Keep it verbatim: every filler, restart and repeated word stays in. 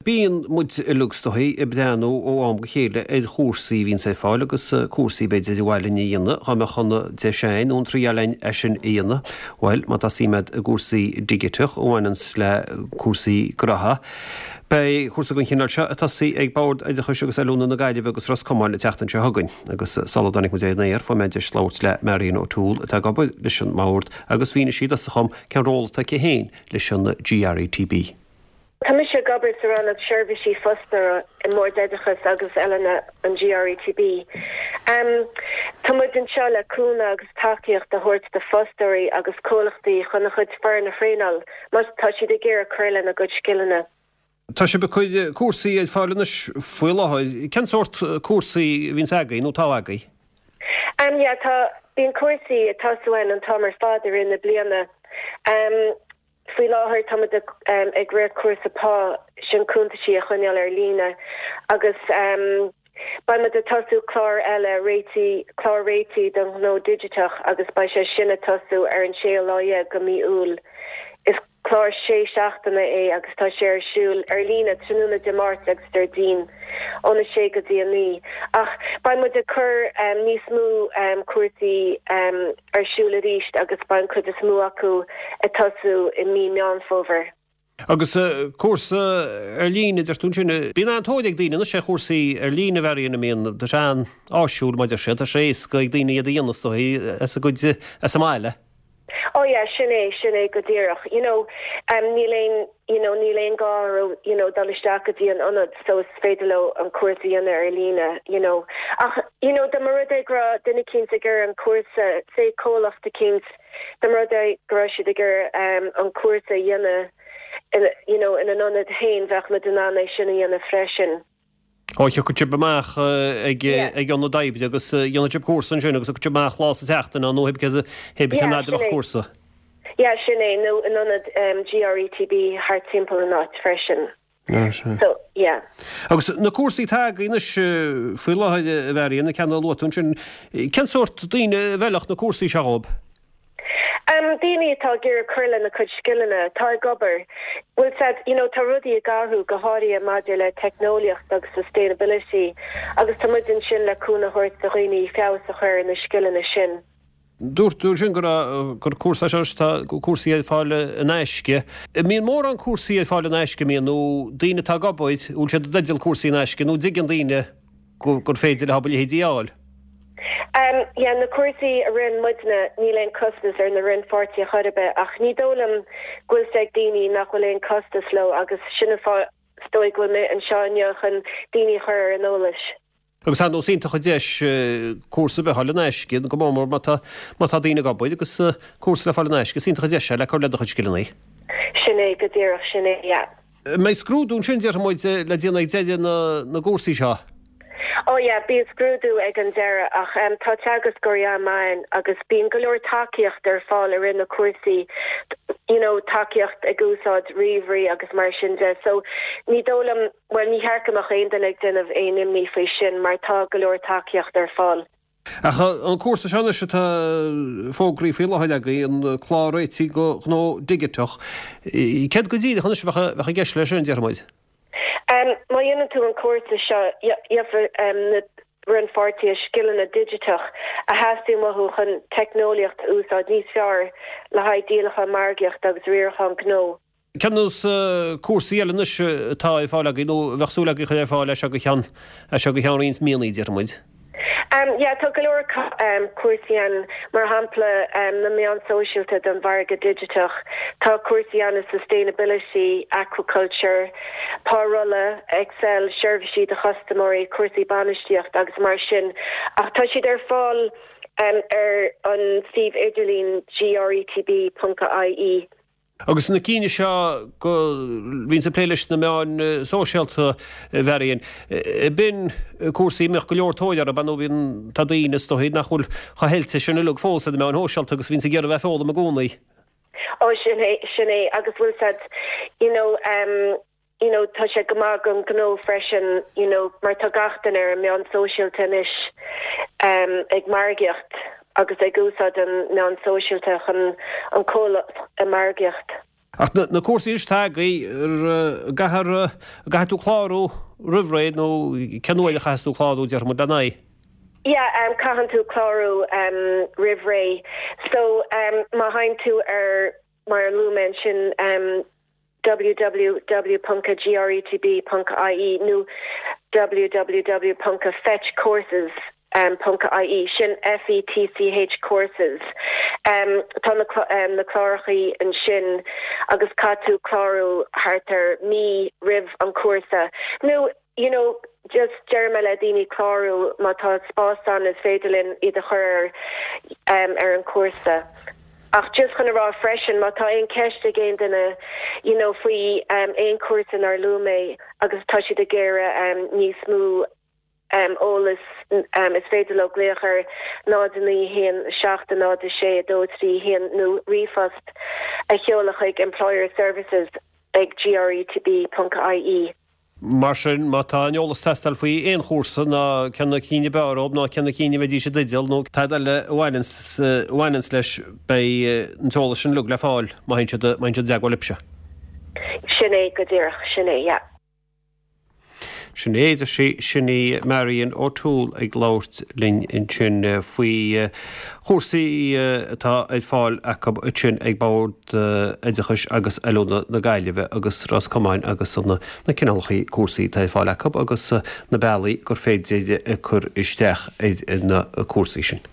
Bíonn muid uilig is dóichí ag breathnú ó am go chéile ar chúrsaí a bhíonns ar fáil agus cúrsaí b'fhéidir ar mhaith linn a dhéanamh, dá mbeadh an deis againn nó an triail againn é sin a dhéanamh. Bhuel, má tá suim agat i gcúrsaí digiteach a bhaineanns le cúrsaí gnótha, beidh cúrsa den chineál seo ag tosaí ag Bord Oideachais agus Oiliúna na Gaillimhe agus Ros Comáin an tseachtain seo chugainn. Agus sula dtáinig muid ar an aer, fuair mé deis labhairt le Marion O'Toole atá ag obair leis an mBord agus mhínigh sí domhsa dhom cén ról atá aici féin leis an GRETB. Tá mise ag obair sa rannóg seirbhísí fostóra i mBord Oideachais agus Oiliúna an GRETB. Um, tá muid anseo le cúnamh agus tacaíocht a thabhairt do fostóirí agus comhlachtaí chun a chuid foireann a thraenáil má tá siad ag iarraidh cur lena gcuid scileanna. Tá sibh ag cur cúrsaí ar fáil anois faoi láthair. Cén sórt cúrsaí a bhíonns agaibh nó atá agaibh? Um, yeah, tá bíonn cúrsaí ag tosú an t-am ar fad i rith na bliana. Um, Faoi láthair tá muid um, ag rith cúrsa pá sin cuntaisí a choinneáil ar líne agus um, beidh muid ag tosú clár eile réitigh clár réitigh don ghnó digiteach agus beidh sé sin ag tosú ar an séú lá déag de mhí Iúil. Is clár sé seachtaine é agus tá sé ar siúl ar líne tráthnóna Dé Máirt agus Déardaoin óna sé go dtí a naoi. Ach beidh muid ag cur um, níos mó um, cúrsaí um, ar siúl arís agus beidh an chuid is mó acu ag tosú i mí Meán Fómhair. Agus uh, cúrsa ar líne deir tú sin bíonn an-tóir ag daoine anois ar chúrsaí ar líne bhíonn a mbíonn tá sé an-áisiúil maidir sé tá sé éasca ag daoine iad a dhéanamh as a gcuid as a mbaile. Oh yeah, sin é sin é go díreach. You know, um, níl aon you know, níl aon gá you know, dul isteach go dtí an ionad so is féidir leo an cúrsa a dhéanamh ar líne, you know. Ach you know, dá mba rud é go raibh duine eicínt ag iarraidh an cúrsa sé comhlacht eicínt dá mba rud é go raibh siad ag iarraidh um, an cúrsa a dhéanamh in, you know, in an ionad féin bheadh muid in ann é sin a dhéanamh freisin. Ó thiocfadh sibh amach ag ag ionad oibre agus dhéanfadh sibh cúrsa ansin agus sibh amach lá sa tseachtain nó hé bheadh cúrsa. Ja sin é nó in ionad um, GRETB thart timpeall an áit freisin. So yeah. Agus na cúrsaí atá agaibh anois faoi láthair a Mharion na ceanna luaite ansin cén sórt daoine a bhfeilfeadh na cúrsaí seo dhóibh? Um, daoine atá ag iarraidh cur lena cuid scileanna atá ag obair. Well said, you know, tá rudaí ag athrú go háirithe maidir le teicneolaíocht agus sustainability agus tá muid ansin le cúnamh a thabhairt do dhaoine feabhas a chur na scileanna sin. Dúirt tú sin gur gur cúrsa tá cúrsaí ar fáil in aisce. Mbíonn mórán cúrsaí ar fáil in aisce mbíonn nó daoine atá ag obair bhfuil siad i dteideal cúrsaí in aisce nó dtuigeann daoine gur féidir le hobair leithéidí a fháil. Um, yeah, na cúrsaí a ritheann muidne níl aon costas ar na rannpháirtithe chor ar bith ach ní dóigh liom go bhfuil ag daoine nach bhfuil aon costas leo agus sin is dóigh go bhfuil mé anseo inniu chun daoine a chur ar an eolas. Agus an nós iontach deis cúrsa a fháil in aisce go mór má tá má tá daoine ag obair agus cúrsa le fáil in aisce, is iontach deis le cur le do chuid scileanna. Sin é go díreach sin é yeah. Mbeidh scrúdú ansin deir muid le déanamh ag deireadh na na gcúrsaí seo. Oh yeah, bíonn scrúdú ag an deireadh ach um, tá teagascóirí ann agus bíonn go leor tacaíocht ar fáil ar na cúrsaí you know, tacaíocht ag úsáid ríomhairí agus mar sin de. So ní dóigh liom well ní cheart go mbeadh aon duine ag déanamh aon imní faoi sin mar tá go leor tacaíocht ar fáil. Ach an cúrsa seo anois atá fógraithe faoi láthair agaibh an clár réitigh do ghnó digiteach. Céard go díreach anois bheadh i gceist leis sin deir muid? Um, má dhéanann tú an cúrsa seo um, na rannpháirtithe scileanna digiteach a theastaíonn uathu chun teicneolaíocht a úsáid níos fearr le haghaidh díolachán margaíocht agus riarachán gnó. Cén nós cúrsaí eile anois atá ar fáil agaibh nó bheadh súil agaibh chur ar fáil leis go ceann seo go ceann roinnt míonna deir muid. Um, yeah, tá go leor um, cúrsaí ann mar shampla um, na meáin sóisialta don mhargadh digiteach, Tá cúrsaí ann sustainability, aquaculture, párolla, Excel, seirbhísí do chustaiméirí, cúrsaí bainistíocht agus mar sin. Ach tá siad ar fáil um, ar an suíomh idirlín gretb.ie. Agus na cinn seo go bhíonn sa plé leis na meáin sóisialta Mharion. Bíonn cúrsaí mbeadh go leor tóir orthu nó bíonn tá daoine is dóigh nach bhfuil chomh hoilte sin uilig fós ar na meáin shóisialta agus bhíonn ag iarraidh bheith ag foghlaim i gcónaí. Ó sin é sin é agus bhfuil said you know um, you know tá sé go maith don ghnó freisin you know mar tá gach duine ar an meán sóisialta anois um, ag margaíocht agus ag úsáid an meán sóisialta chun an comhlacht a margaíocht. Ach na cúrsaí is tagaí gcaithfidh tú clárú roimh ré nó cén uair a chaithfeas tú clárú déarfaidh muid lena aghaidh? Yeah, um, caitheann tú clárú um, roimh ré. So um, má théann tú ar mar a luaigh mé ansin um, www.gretb.ie nó www.fetchcourses um, .ie sin FETCH courses. Um, tá na, um, na clárachaí ansin agus caithfidh tú clárú thart ar mí roimh an cúrsa. Nó you know, just deir mé le daoine clárú má tá spás ann is féidir linn iad a chur um, ar an cúrsa. Ach just chun a rá freisin má tá aon cheist ag aon duine you know, faoi um, aon cúrsa nár luaigh mé agus tá siad ag iarraidh um, níos mó um, eolas um, is féidir leo glaoch ar náid naoi haon seacht náid sé dó trí haon nó ríomhphost a sheoladh chuig employer services ag gretb.ie. Mar sin má tá an eolas ag teastáil faoi aon chúrsa ná cé na cinn ab fhearr dóibh ná cé na cinn a bheidís i dteideal nó tada eile a bhaineanns leis beidh an t-eolas sin uilig le fáil má théann siad i dteagmháil libhse. Sin é go díreach sin é yeah. Sin é sí sin í Marion O'Toole ag labhairt linn ansin faoi chúrsaí atá ar fáil acu ansin ag Bord Oideachais agus Oiliúna na Gaillimhe agus Ros Comáin agus na na cineálacha cúrsaí atá ar fáil acu agus na bealaí gur féidir cur isteach ar na cúrsaí sin.